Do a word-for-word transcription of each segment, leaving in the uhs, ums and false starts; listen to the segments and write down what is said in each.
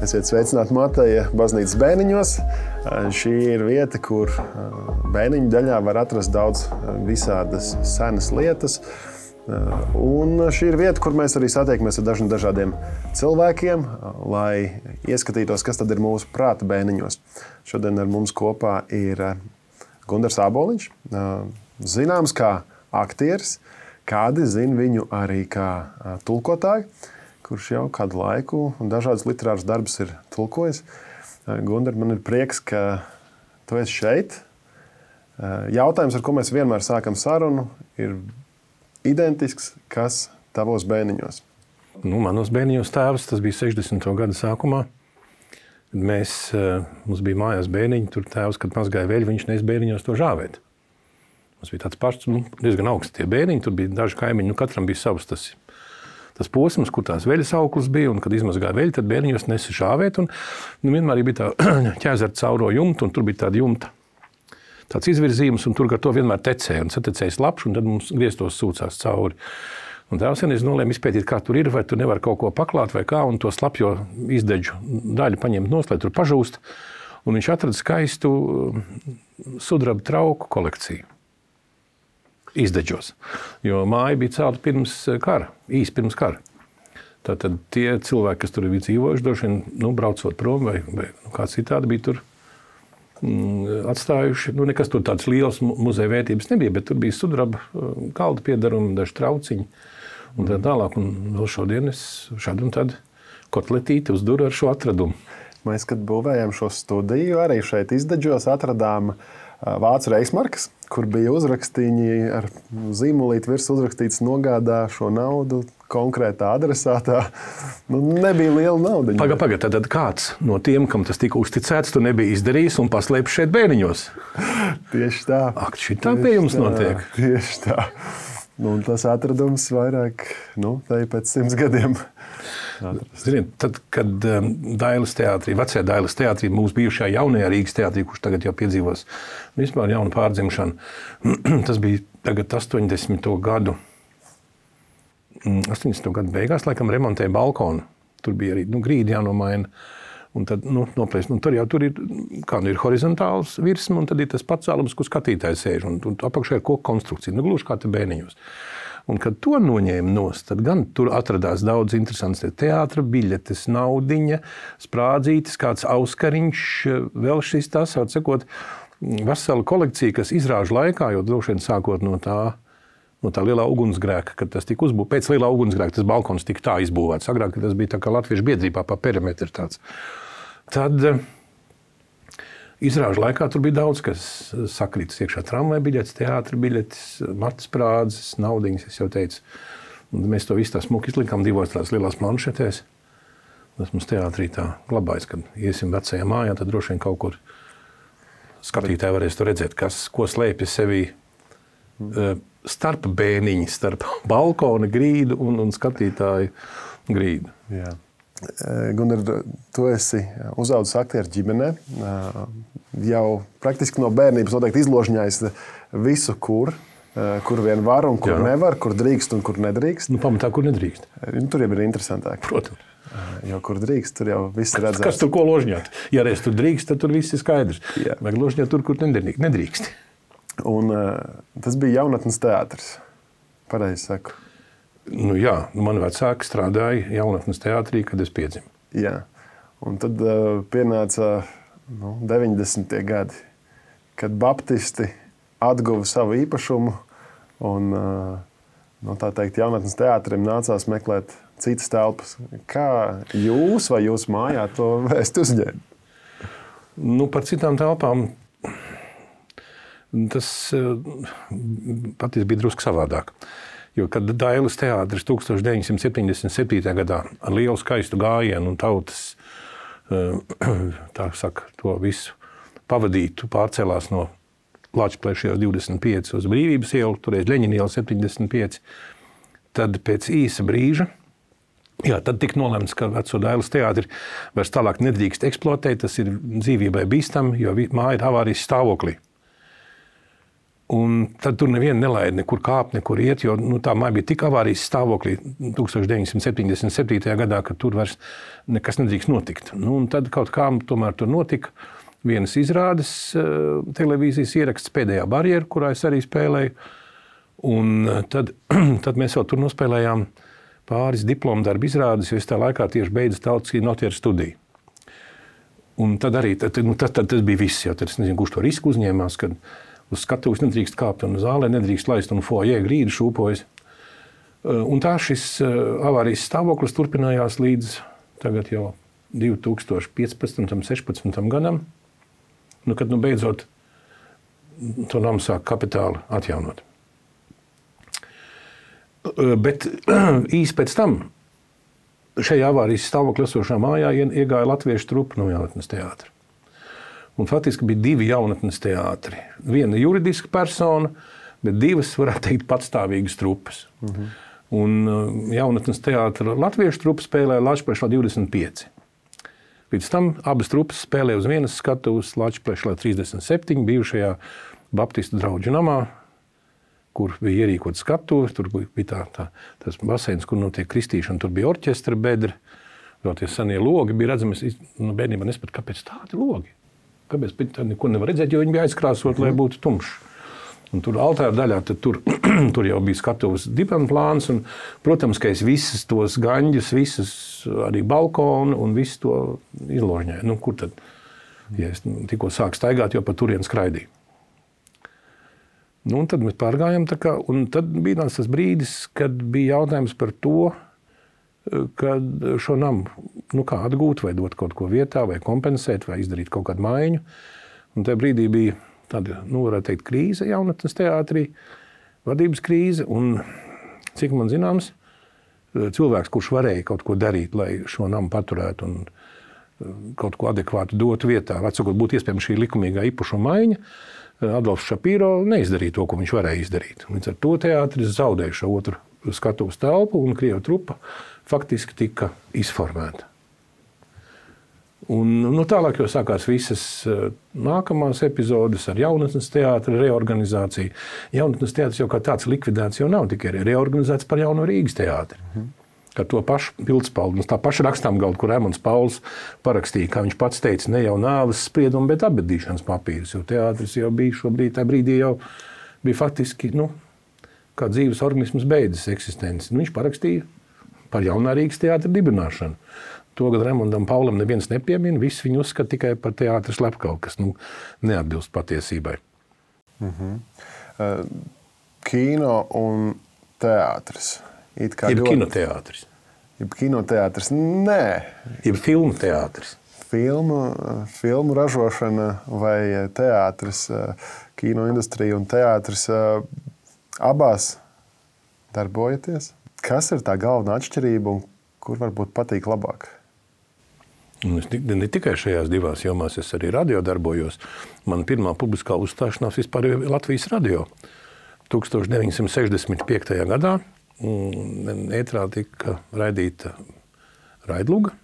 Esiet sveicināti Mateja baznīcas Bēniņos. Šī ir vieta, kur Bēniņu daļā var atrast daudz visādas senas lietas. Un šī ir vieta, kur mēs arī satiekamies ar dažiem dažādiem cilvēkiem, lai ieskatītos, kas tad ir mūsu prāta bēniņos. Šodien ar mums kopā ir Gundars Āboliņš, zināms kā aktieris, kādi zina viņu arī kā tulkotāju, kurš jau kādu laiku un dažādas literāras darbus ir tulkojis. Gundar, man ir prieks, ka tu esi šeit. Jautājums, ar ko mēs vienmēr sākam sarunu, ir identisks, kas tavos bēniņos? Nu, manos bēniņos tēvs, tas bija sešdesmito gadu sākumā. Mēs, mums bija mājās bēniņi, tur tēvs, kad mazgāja veļu, viņš nes bēniņos to žāvēt. Mums bija tāds pašs, nu, diezgan augsts tie bēniņi, tur bija daži kaimiņi, nu, katram bija savs tas, tas posms, kur tās veļas auklis bija, un kad izmazgāja veļu, tad bēniņos nesa žāvēt, un nu, vienmēr bija tā ķēzara cauro jumtu, un tur bija tāda jumta, tāds izvirzījums, un tur gar to vienmēr tecēja, un satecēja slapš, un tad mums grieztos sūcās cauri. Un tēvs vienreiz nolēma izpētīt, kā tur ir, vai tu nevar kaut ko paklāt, vai kā, un to slapjo izdeģu daļu paņemt nost, lai tur pažūst, un viņš atrada skaistu sudraba trauku kolekciju. Izdeģos, jo māja bija celta pirms kara, īsi pirms kara. Tātad tie cilvēki, kas tur bija dzīvojuši, droši vien, nu, braucot prom vai, vai nu, kāds citādi bija tur mm, atstājuši. Nu, nekas tur tāds liels muzeja vērtības nebija, bet tur bija sudraba kalda piedarumi, daži trauciņi un tā tālāk. Un vēl šodien es šādu un tad kotletīti uzduru ar šo atradumu. Mēs, kad būvējām šo studiju, arī šeit izdeģos atradām vācu reismarkas, kur bija uzrakstīņi ar zīmolīti virs uzrakstīts nogādā šo naudu konkrētā adresātā. Nu, nebija liela nauda. Paga, paga, tad kāds no tiem, kam tas tika uzticēts, tu nebija izdarījis un paslēpis šeit bēniņos? Tieši tā. Ak, šitā pie jums notiek. Tieši tā. Nu, un tas atradums vairāk, nu, tā ir pēc simts gadiem. Ziniet, tad, kad um, Dailes teātrī, vecajā Dailes teātrī, mūsu bijušajā jaunajā Rīgas teātrī, kurš tagad jau piedzīvos vispār jaunu pārdzimšanu, tas bija tagad astoņdesmito gadu, astoņdesmito gadu beigās, laikam remontēja balkonu. Tur bija arī, nu, grīdi jānomaina. Un tad, nu, noplēst, nu, tur jau tur ir, kā nu ir horizontāls virsma, un tad ir tas pats cēlums, kur skatītājs sēž, un, un apakšā ir koku konstrukcija, nu, gluži kā te bēniņos. Un, kad to noņēma nost, tad gan tur atradās daudz interesants teātra biļetes, naudiņa, sprādzītes, kāds auskariņš, vēl šis tas, atsakot, vesela kolekcija, kas izrāžu laikā, jo droši vien sākot no tā, no tā lielā ugunsgrēka, kad tas tika uzbūvēts, pēc lielā ugunsgrēka tas balkons tika tā izbūvēts, agrāk, kad tas bija tā kā latviešu biedrībā pa perimetru tāds. Tad izrāžu laikā tur bija daudz, kas sakrītas iekšā tramvai biļetes, teātra biļetes, matas prādzes, naudiņas, es jau teicu. Un mēs to visu tā smuki izlikām divos tās lielās planšetēs. Tas mums teātrī tā glabājas, kad iesim vecajā mājā, tad droši vien kaut kur skatītāji varēs to redzēt, kas, ko slēpja sevī starp bēniņi, starp balkona grīdu un, un skatītāju grīdu. Jā. Gundar, tu esi uzaudzis aktieru ģimenē, jau praktiski no bērnības noteikti izložņājis visu, kur, kur vien var un kur Jā. Nevar, kur drīkst un kur nedrīkst. Nu, pamatā, kur nedrīkst. Tur jau ir interesantāk. Protams. Jo kur drīkst, tur jau viss ir redzēts. Kas tur ko ložņāt? Ja reiz tur drīkst, tad tur viss ir skaidrs. Jā. Vajag ložņāt tur, kur nedrīkst. Un tas bija jaunatnes teātris. Pareizi saku. Nu jā, mani vecāki strādāja jaunatnes teātrī, kad es piedzimu. Jā, un tad uh, pienāca nu, deviņdesmitie gadi, kad baptisti atguva savu īpašumu un, uh, nu, tā teikt, jaunatnes teātrim nācās meklēt citas telpas. Kā jūs vai jūs mājā to vēst uzņēma? Nu, par citām telpām tas uh, patiesi bija drusku savādāk. Jo, kad Dailes teātris tūkstoš deviņsimt septiņdesmit septītajā gadā ar lielu skaistu gājienu un tautas, tā saka, to visu pavadītu, pārcēlās no Lāčplēša divdesmit pieci uz Brīvības ielu, toreiz Ļeņina iela septiņdesmit pieci, tad pēc īsa brīža, jā, tad tika nolemts, ka veco Dailes teātri vairs tālāk nedrīkst eksploatēt, tas ir dzīvībai bīstami, jo māja ir avārijas stāvoklī. Un tad tur nevienu nelaida nekur kāpt, nekur iet, jo nu, tā māja bija tik avārijas stāvoklī tukstovš deviņsimt septiņdesmit septītajā gadā, ka tur vairs nekas nedrīkst notikt. Nu, un tad kaut kā tomēr tur notika vienas izrādes uh, televīzijas ieraksts Pēdējā barjera, kurā es arī spēlēju. Un tad, tad mēs vēl tur nospēlējām pāris diplomu darbu izrādes, jo es tā laikā tieši beidzu tautas kinotieru studiju. Un tad arī tad, nu, tad, tad tas bija viss, jo tad es nezinu, kurš to risku uzņēmās, kad uz skatuves nedrīkst kāpt un zālē nedrīkst laist un foajē grīdu šūpojas. Un tā šis avārijas stāvoklis turpinājās līdz tagad jau divi tūkstoši piecpadsmitam, sešpadsmitam gadam, nu, kad nu beidzot to namu sāk kapitāli atjaunot. Bet īsi pēc tam šajā avārijas stāvokļa esošā mājā iegāja latviešu trupa no jaunatnes teātra. Un faktiski bija divi jaunatnes teātri. Viena juridiska persona, bet divas, varētu teikt, patstāvīgas trupas. Uh-huh. Un jaunatnes teātra latviešu trupa spēlēja Lačplešā divdesmit pieci. Līdz tam abas trupas spēlēja uz vienas skatuves Lačplešā trīsdesmit septiņi, bijušajā Baptistu draugu namā, kur bija ierīkot skatuves, tur bija tā, tā, tas baseins, kur notiek kristīšana, tur bija orķestra bedri, vēl tie senie logi bija redzami. Es nu, bērnībā nespētu, kāpēc tādi logi? Kāpēc tā neko nevar redzēt, jo viņi bija aizkrāsot, lai būtu tumšs. Un tur altāra daļā, tad tur, tur jau bija skatuves dipanplāns, un, protams, ka es visas tos gaņģus, visas arī balkonu un visu to izložņēju. Nu, kur tad? Ja es tikko sāku staigāt, jo pa turien skraidīju. Nu, un tad mēs pārgājām tā kā, un tad bija tas brīdis, kad bija jautājums par to, kad šo namu nu kā atgūt, vai dot kaut ko vietā, vai kompensēt, vai izdarīt kaut kādu maiņu. Un tajā brīdī bija tāda, nu, varētu teikt, krīze jaunatnes teātrī, vadības krīze, un, cik man zināms, cilvēks, kurš varēja kaut ko darīt, lai šo namu paturētu un kaut ko adekvātu dotu vietā, atsakot, būtu iespējams šī likumīgā īpašuma maiņa, Adolfs Šapīro neizdarīja to, ko viņš varēja izdarīt. Līdz ar to teātris zaudēja šo otru skatuves telpu, un Krievu trupa faktiski tika izformēta. Un, nu, tālāk jau sākās visas nākamās epizodes ar jaunatnes teātra reorganizāciju. Jaunatnes teātris jau kā tāds likvidēts jau nav, tikai reorganizēts par Jauno Rīgas teātri. Mhm. Ar to pašu pildspalvu, tā paša rakstām galdu, kur Emons Pauls parakstīja, kā viņš pats teica, ne jau nāves spriedumu, bet apbedīšanas papīrus, jo teātris jau bija šobrīd, tā brīdī jau bija faktiski, nu, kā dzīves organisms beidzas eksistenci. Nu, viņš parakstīja par Jaunā Rīgas teātra dibināšanu. To, kad Remondam Paulam neviens nepiemina, viss viņu uzskata tikai par teātra slepkavu, kas nu, neatbilst patiesībai. Mhm. Uh, kino un teātris. It kā Jeb ļoti... kinoteātris. Jeb kinoteātris. Nē. Jeb filmu teātris. Filmu, filmu ražošana vai teātris, kino industrija un teātris abās darbojaties. Kas ir tā galvenā atšķirība un kur varbūt patīk labāk? Es ne tikai šajās divās jomās, es arī radio darbojos. Man pirmā publiskā uzstāšanās vispār ir Latvijas radio. deviņdesmit sešdesmit piektajā gadā ētrā tika raidīta raidluga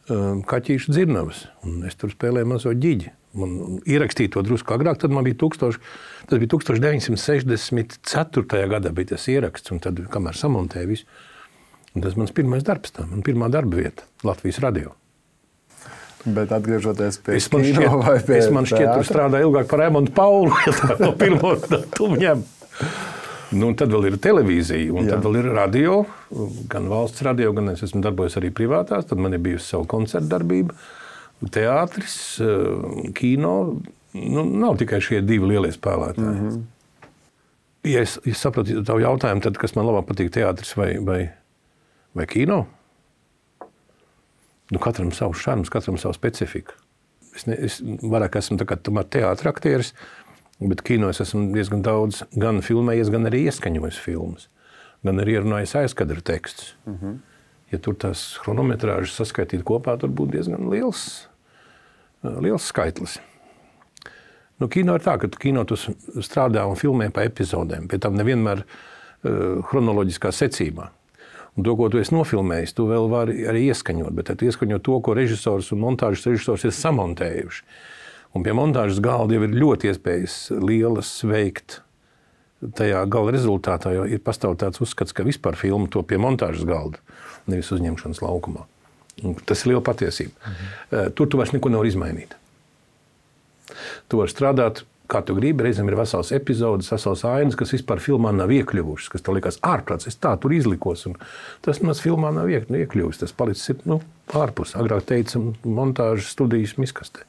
Kaķīša dzirnavas. Un es tur spēlēju mazo ģiģi. Man ierakstīja to drusku agrāk, tad man bija tūkstoš, tas bija deviņdesmit sešdesmit ceturtajā gadā bija tas ieraksts, un tad, kamēr samontēja visu, un tas mans pirmais darbs tā, man pirmā darba vieta Latvijas radio. Bet atgriežoties pie es man kino šķiet, vai pie es man šķiet, tur strādāju ilgāk par Emontu Paulu, ja tā no pirmo datumu ņem. Nu, un tad vēl ir televīzija, un Jā. Tad vēl ir radio, gan valsts radio, gan es esmu darbojies arī privātās, tad man ir bijusi savu koncertu darbība, teātris, kino, nu, nav tikai šie divi lielie spēlētāji. Mm-hmm. Ja es, es sapratu tavu jautājumu, tad kas man labāk patīk, teātris vai, vai, vai kino? Nu, katram savs šarms, katram savu specifiku. Es, ne, es vairāk esmu tā kā tomēr teātra aktieris, bet kino es esmu diezgan daudz gan filmējies, gan arī ieskaņojis filmas, gan arī ierunājis aizkadra tekstus. Mm-hmm. Ja tur tās chronometrāžas saskaitīt kopā, tur būtu diezgan liels, liels skaitlis. Nu, kino ir tā, ka kino tu strādā un filmē pa epizodēm, pie tam nevienmēr uh, chronoloģiskā secībā. Un to, ko tu esi nofilmējis, tu vēl vari arī ieskaņot, bet tu ieskaņot to, ko režisors un montāžas režisors ir samontējuši. Un pie montāžas galda jau ir ļoti iespējas lielas veikt tajā gala rezultātā, jo ir pastāv tāds uzskats, ka vispār filma to pie montāžas galda, nevis uzņemšanas laukumā. Un tas ir liela patiesība. Mhm. Tur tu vairs neko nevar izmainīt. Tu vari strādāt, kā tu gribi, reizēm ir vesels epizodes, vesels ainas, kas vispār filmā nav iekļuvušas, kas tev likās ārprāts, es tā tur izlikos, un tas maz filmā nav iekļuvis, tas palicis ir, nu, ārpus. Agrāk teica, montāžas studijas miskastē.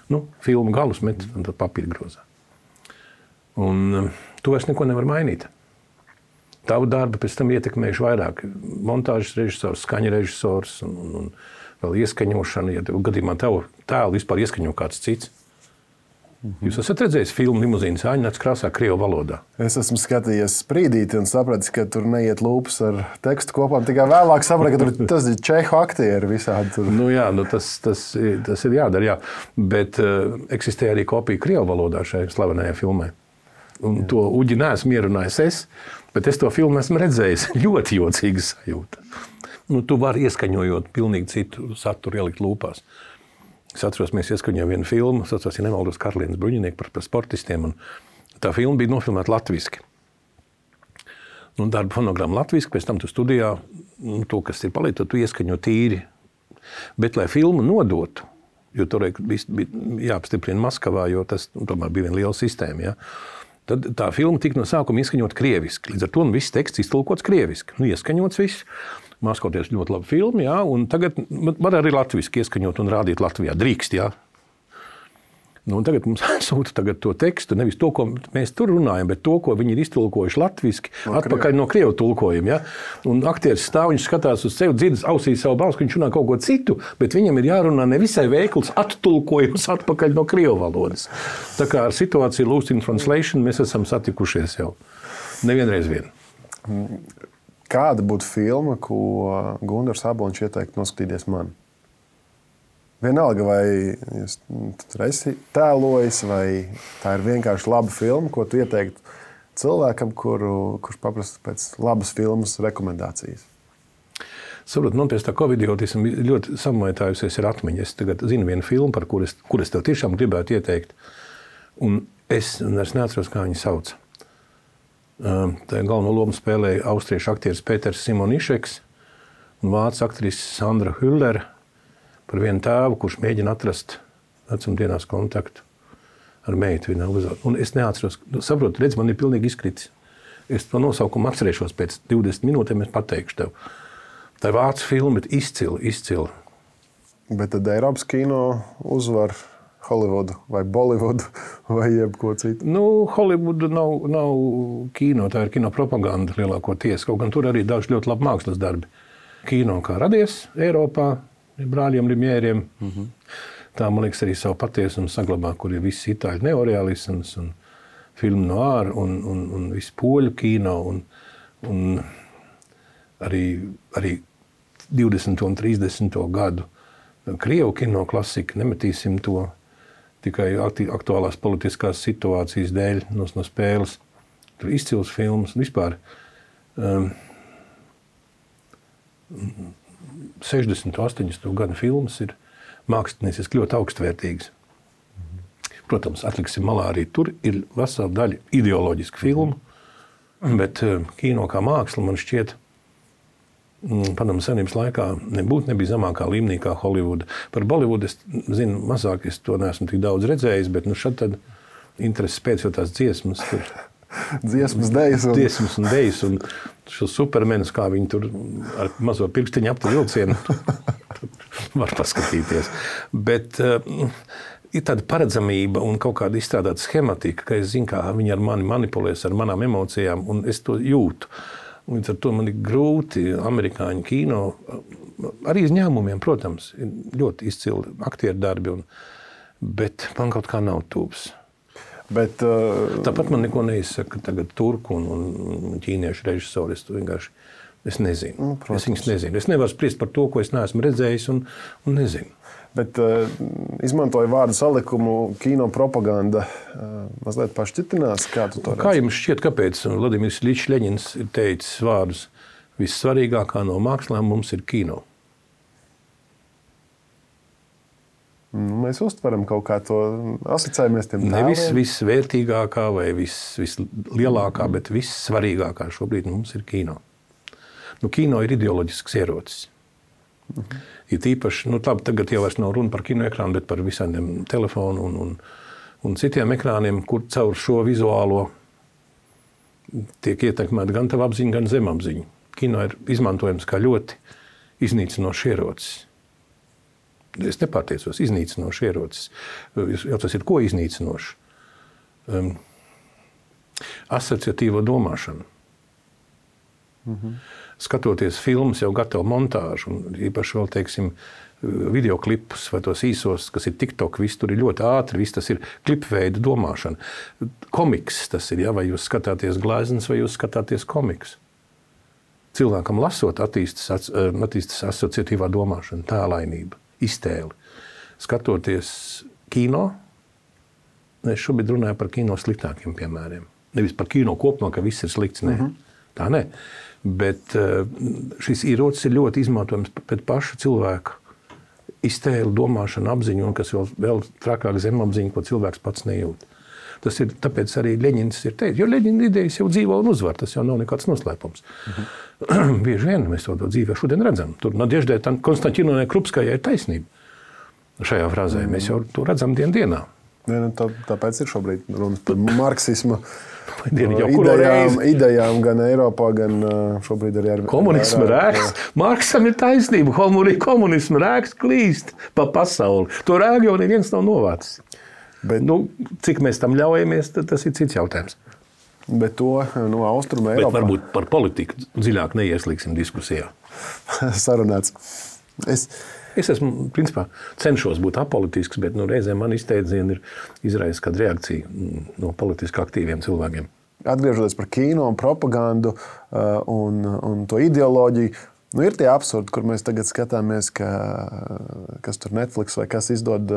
Nu, filmu galus met un tad papīra grozā. Un tu vairs neko nevar mainīt. Tavu darbu pēc tam ietekmējuši vairāk. Montāžas režisors, skaņa režisors un, un, un vēl ieskaņošana. Ja tev gadījumā tev tēlu vispār ieskaņo kāds cits. Mm-hmm. Jūs esat redzējis filmu Limuzīnas āņnāts krāsā krievu valodā? Es esmu skatījies sprīdīti un sapratis, ka tur neiet lūpas ar tekstu kopām. Tikai vēlāk sapratu, ka tur tas ir čehu aktieri visādi. Tur. Nu jā, nu tas, tas, tas ir jādara, jā. Bet uh, eksistē arī kopija krievu valodā šajā slavenajā filmē. Un to uģi neesmu ierunājis es, bet es to filmu esmu redzējis. Ļoti jocīga sajūta. Nu, tu vari ieskaņojot pilnīgi citu saturu ielikt lūpās. Es atceros, mēs ieskaņojām vienu filmu, es atceros, ja nemaldos, Karlienes Bruņinieki par, par sportistiem, un tā filma bija nofilmēta latviski. Nu, darba fonogramma latviski, pēc tam tu studijā, nu, to, kas ir palīdz, tu ieskaņo tīri. Bet, lai filmu nodotu, jo tur bija jāapstiprina Maskavā, jo tas nu, tomēr bija viena liela sistēma, ja? Tad tā filma tika no sākuma ieskaņot krieviski. Līdz ar to nu, viss teksts iztulkots krieviski. Nu, ieskaņots viss. Maskoties ļoti labi filmi, jā, un tagad var arī latviski ieskaņot un rādīt Latvijā. Drīkst, jā. Nu, un tagad mums sūta tagad to tekstu, nevis to, ko mēs tur runājam, bet to, ko viņi ir iztulkojuši latviski, no atpakaļ no krievu tulkojuma, jā. Un aktieris stāv, viņš skatās uz sevi, dzirdas ausīs savu balsu, ka viņš runā kaut ko citu, bet viņam ir jārunā nevisai veikls attulkojums atpakaļ no krievu valodas. Tā kā ar situāciju Lost in Translation mēs esam satikušies jau nevienreiz vien. Kāda būtu filma, ko Gundars Aboliņš ieteiktu noskatīties man? Vienalga, vai jūs tur esi tēlojis, vai tā ir vienkārši laba filma, ko tu ieteiktu cilvēkam, kuru, kurš paprasta pēc labas filmas rekomendācijas? Saprot, man pēc tā covidiotisma ļoti samaitājusies ir atmiņa. Es tagad zinu vienu filmu, par kuras, kuras tev tiešām gribētu ieteikt. Un es vairs neatceros, kā viņu sauc. Tā galveno lomu spēlēja austriešu aktieris Pēters Simonišeks un vācu aktrise Sandra Hüller par vienu tēvu, kurš mēģina atrast vecumdienās kontaktu ar meitu. Un es neatceros, saprotu, redz, man ir pilnīgi izkritis. Es to nosaukumu atcerēšos pēc divdesmit minūtēm, es pateikšu tev. Tā ir vācu filma, bet izcila, izcila. Bet tad Eiropas kino uzvar Hollywoodu vai Bollywoodu vai jebko citu? Nu, Hollywoodu nav, nav kino, tā ir kino propaganda lielākoties. Kaut gan tur arī daži ļoti labi mākslas darbi. Kino kā radies Eiropā, brāļiem Limjēriem. Mm-hmm. Tā, man liekas, arī savu patiesumu saglabā, kur ir viss itāļu neorealisms un filmu noir un, un, un viss poļu kino un, un arī, arī divdesmito un trīsdesmito gadu krievu kino klasika, nemetīsim to tikai aktuālās politiskās situācijas dēļ no, no spēles. Tur izcils filmas. Vispār um, sešdesmito, astoņdesmito gadu filmas ir mākslinieciski ļoti augstvērtīgas. Protams, atliksim malā arī tur ir vesela daļa ideoloģiska filmu, bet um, kino kā māksla man šķiet Padomu Savienības laikā nebūtu nebija zemākā līmenī kā Hollywooda. Par Bollywoodu es zinu mazāk, es to neesmu tik daudz redzējis, bet nu šad tad intereses pēc jau tās dziesmas. Tur. Dziesmas, dejas. Un... Dziesmas un dejas un šo supermenus, kā viņi tur ar mazo pirkstiņu aptu vilcienu var paskatīties. Bet uh, ir tāda paredzamība un kaut kāda izstrādāta schematika, ka es zinu, kā viņi ar mani manipulēs, ar manām emocijām, un es to jūtu. Līdz ar to man ir grūti amerikāņu kino, arī izņēmumiem, protams, ir ļoti izcili aktieru darbi, un, bet man kaut kā nav tūps. Bet, uh... Tāpat man neko neizsaka tagad turku un, un ķīniešu režisori, es to vienkārši es nezinu. Nu, es viņus nezinu. Es nevaru spriest par to, ko es neesmu redzējis un, un nezinu. Bet uh, izmantoju vārdu salikumu kino propaganda. Uh, mazliet pašķitinās, kā tu to redzi? Kā jums šķiet, kāpēc Vladimirs Iļičs Ļeņins ir teicis vārdus vissvarīgākā no mākslām mums ir kino? Nu, mēs uztveram kaut kā to, asociējamies tiem tēliem. Nevis visvērtīgākā vai vis, vislielākā, bet vissvarīgākā šobrīd mums ir kino. Nu, kino ir ideoloģisks ierocis. Mhm. Ir tīpaši, nu, labi, tagad jau vairs nav runa par kino ekrānu, bet par visādiem telefonu un, un, un citiem ekrāniem, kur caur šo vizuālo tiek ietekmēta gan tava apziņa, gan zemapziņa. Kino ir izmantojams kā ļoti iznīcinošs ierocis. Es nepārtiecos, iznīcinošs ierocis. Jau tas ir ko iznīcinošs? Um, asociatīvo domāšanu. Mhm. Skatoties filmas, jau gatavu montāžu, un īpaši vēl, teiksim, videoklipus vai tos īsos, kas ir TikTok, viss tur ir ļoti ātri, viss tas ir klipveida domāšana. Komiks tas ir, ja, vai jūs skatāties gleznas, vai jūs skatāties komiks. Cilvēkam lasot attīstas, attīstas asociatīvā domāšana, tēlainība, iztēli. Skatoties kino, es šobrīd runāju par kino sliktākiem piemēriem. Nevis par kino kopumā, ka viss ir slikts, ne. Mhm. Tā ne. Bet šis ierocis ir ļoti izmantojams pēc paša cilvēka iztēli, domāšanu, apziņu, un kas vēl, vēl trakāk zemapziņu, ko cilvēks pats nejūt. Tas ir, tāpēc arī Ļeņins ir teicis, jo Ļeņina idejas jau dzīvo un uzvar, tas jau nav nekāds noslēpums. Mhm. Bieži vien mēs to, to dzīvē šodien redzam. Tur Nadeždai Konstantinovai Krupskajai ir taisnība šajā frāzē. Mhm. Mēs jau to redzam dien dienā. Ja, nu, tā, tāpēc ir šobrīd runas par marksismu. Dienu, idejām, idejām gan Eiropā, gan šobrīd arī ar komunismu rēks. Marksam ir taisnība. Komunismu rēks klīst pa pasauli. To rēgu jau neviens nav novācis. Bet, nu, cik mēs tam ļaujamies, tas ir cits jautājums. Bet to no Austruma Eiropā. Bet varbūt par politiku dziļāk neieslīgsim diskusijā. Sarunāts. Es... Es esmu, principā, cenšos būt apolitisks, bet nu, reizēm man izteidzieni ir izraisa kāda reakcija no politiski aktīviem cilvēkiem. Atgriežoties par kino un propagandu uh, un, un to ideoloģiju, nu, ir tie absurdi, kur mēs tagad skatāmies, ka, kas tur Netflix vai kas izdod,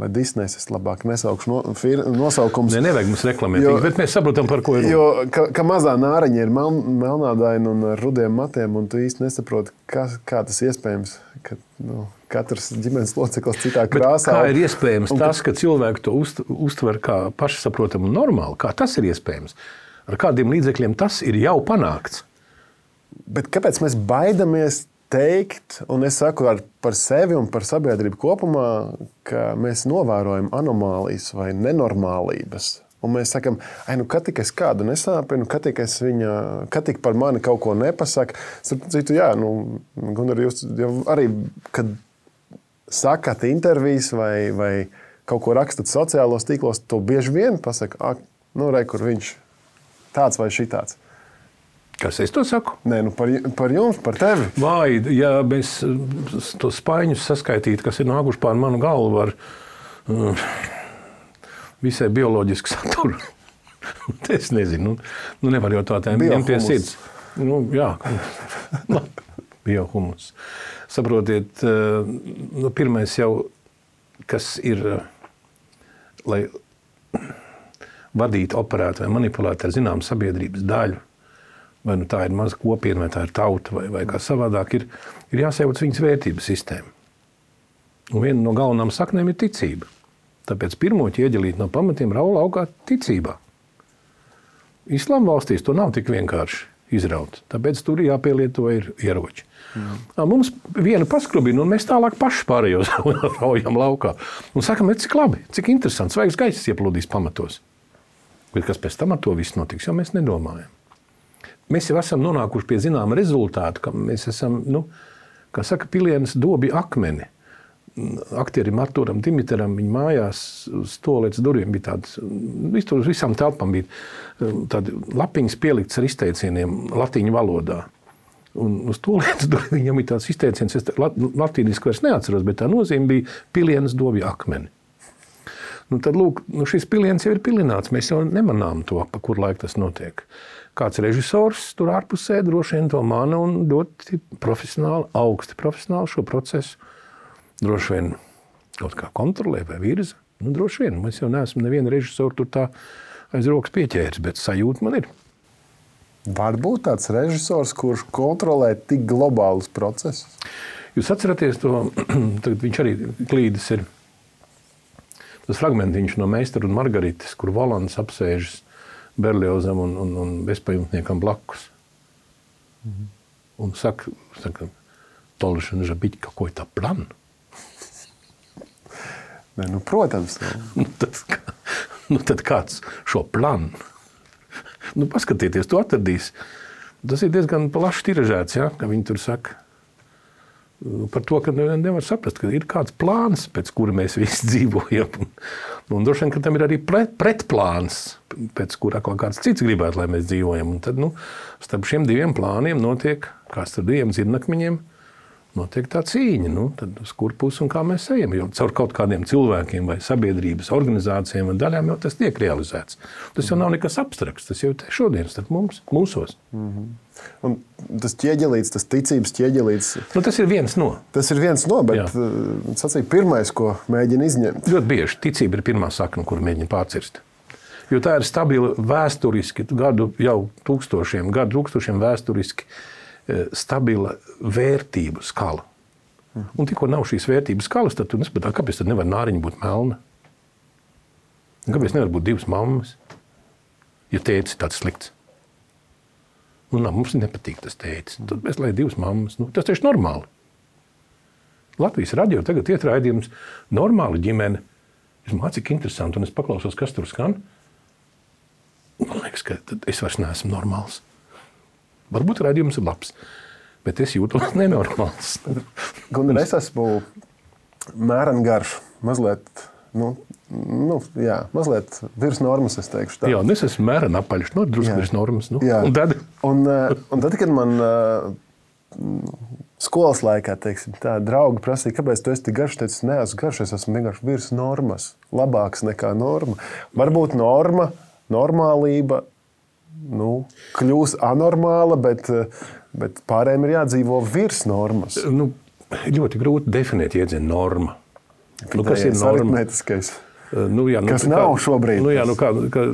vai Disney, es labāk nesaukšu no, fir, nosaukums. Ne, nevajag mums reklamēt, jo, bet mēs saprotam, par ko ir. Jo, ka, ka mazā nāraņa ir mel, melnādaina un ar rudiem matiem, un tu īsti nesaproti, kā, kā tas iespējams, ka nu, katrs ģimenes loceklis citā krāsā. Kā ir iespējams un, tas, ka cilvēki to uzt, uztver kā pašsaprotamu un normāli? Kā tas ir iespējams? Ar kādiem līdzekļiem tas ir jau panākts? Bet kāpēc mēs baidamies teikt, un es saku ar, par sevi un par sabiedrību kopumā, ka mēs novērojam anomālijas vai nenormālības? Un mēs sakam, ai, nu, kad tik es kādu nesāpinu, kad tik es viņa, kad tik par mani kaut ko nepasaka. Citu, jā, nu, Gunnar, jūs jau arī, kad sakat intervijas vai, vai kaut ko rakstat sociālos tīklos, to bieži vien pasaka, ak, nu, re, kur viņš tāds vai šitāds. Kas es to saku? Nē, nu par, par jums, par tevi. Vai, ja mēs tos spaiņus saskaitītu, kas ir nākuši pār manu galvu, var uh, visai bioloģisku saturu. Es nezinu, nu, nu nevar jau tā tēm pie sirds. Nu, jā, biohumus. Saprotiet, uh, nu, pirmais jau, kas ir, uh, lai vadītu, operētu vai manipulētu ar zinām sabiedrības daļu, vai nu tā ir maza kopiena, vai tā ir tauta, vai, vai kā savādāk, ir, ir jāsajauc viņas vērtības sistēma. Un viena no galvenām saknēm ir ticība. Tāpēc pirmo ķieģelīt no pamatiem raula augā ticībā. Islāma valstīs to nav tik vienkārši izraut. Tāpēc tur jāpielieto ir ieroči. Mm. Mums viena paskrubina, un mēs tālāk paši pārējos raujam laukā. Un sakam, cik labi, cik interesants, vajag gaiss ieplūdīs pamatos. Bet kas pēc tam ar to viss notiks, jo mēs nedomājam. Mēs jau esam nonākuši pie zināma rezultātu, ka mēs esam, nu, kā saka, pilienas dobi akmeni. Aktierim Artūram Dimiteram viņa mājās uz stolietas durvīm bija tāds, uz visām telpām bija tādi lapiņas pielikts ar izteicieniem latiņu valodā. Un uz stolietas durvīm viņam bija tāds izteiciens, es latīniski vairs neatceros, bet tā nozīme bija pilienas dobi akmeni. Nu, tad, lūk, nu, šis piliens jau ir pilināts, mēs jau nemanām to, pa kur laiku tas notiek. Kāds režisors tur ārpusē droši vien to mana un ļoti profesionāli, augsti profesionāli šo procesu droši vien kaut kā kontrolē vai virza. Nu, droši vien, mēs jau neesam nevienu režisoru tur tā aiz rokas pieķēris, bet sajūta man ir. Varbūt tāds režisors, kurš kontrolē tik globālus procesus? Jūs atceraties to, tagad viņš arī klīdis ir tas fragmentiņš no Meistara un Margarites, kur Volants apsēžas Berliozam un, un, un bezpajumtniekam blakus. Mm-hmm. Un saka, saka Tolšana žabīt, какой tā plan? Ne, nu, protams. Nu, tad, nu, tad kāds šo planu? Nu, paskatieties, tu atradīs. Tas ir diezgan plaši tiražēts, ja, ka viņi tur saka par to, ka nevar saprast, ka ir kāds plāns, pēc kura mēs visi dzīvojam. Un, un droši vien, ka tam ir arī pret, pretplāns, pēc kura kaut kāds cits gribētu, lai mēs dzīvojam. Un tad, nu, starp šiem diviem plāniem notiek, kā starp diviem dzirnakmeņiem, notiek tā cīņa. Nu, tad uz kur pusi un kā mēs ejam. Jo caur kaut kādiem cilvēkiem vai sabiedrības organizācijām un daļām jau tas tiek realizēts. Tas jau nav nekas abstrakts, tas jau ir šodien starp mums, mūsos. Mm-hmm. Un tas ķieģelīts, tas ticības ķieģelīts. Nu, tas ir viens no. Tas ir viens no, bet sacīja pirmais, ko mēģina izņemt. Ļoti bieži ticība ir pirmā sakna, kuru mēģina pārcirst. Jo tā ir stabila vēsturiski, gadu jau tūkstošiem, gadu tūkstošiem vēsturiski stabila vērtību skala. Un tikko nav šīs vērtības skalas, tad tu nespatā, kāpēc tad nevar nāriņa būt melna? Kāpēc nevar būt divas mammas, ja tētis ir tāds slikts? Nu, nā, mums nepatīk tas tētis. Tad mēs lai divas mammas. Nu, tas taču normāli. Latvijas radio tagad iet raidījums normāla ģimene. Es domāju, cik interesanti, un es paklausos, kas tur skan. Man liekas, ka es vairs neesmu normāls. Varbūt raidījums ir labs, bet es jūtos nenormāls. Gunnar, es esmu mēren garš, mazliet, nu, nu, jā, mazliet virs normas, es teikšu tā. Jā, un es esmu mēren apaļš, no drusku virs normas. Nu, jā. Un tad? Un, un tad, kad man uh, skolas laikā, teiksim, tā draugi prasīja, kāpēc tu esi tik garš, teicis, neesmu garš, es esmu vienkārši virs normas, labāks nekā norma. Varbūt norma, normālība, nu, kļūs anormāla, bet, bet pārējiem ir jādzīvo virs normas. Nu, ļoti grūti definēt iedzienu norma. Nu, kas ir norma? Aritmētiskais. Nu, jā, nu, kas kā, nav šobrīd. Nu, jā, nu, kā, kā,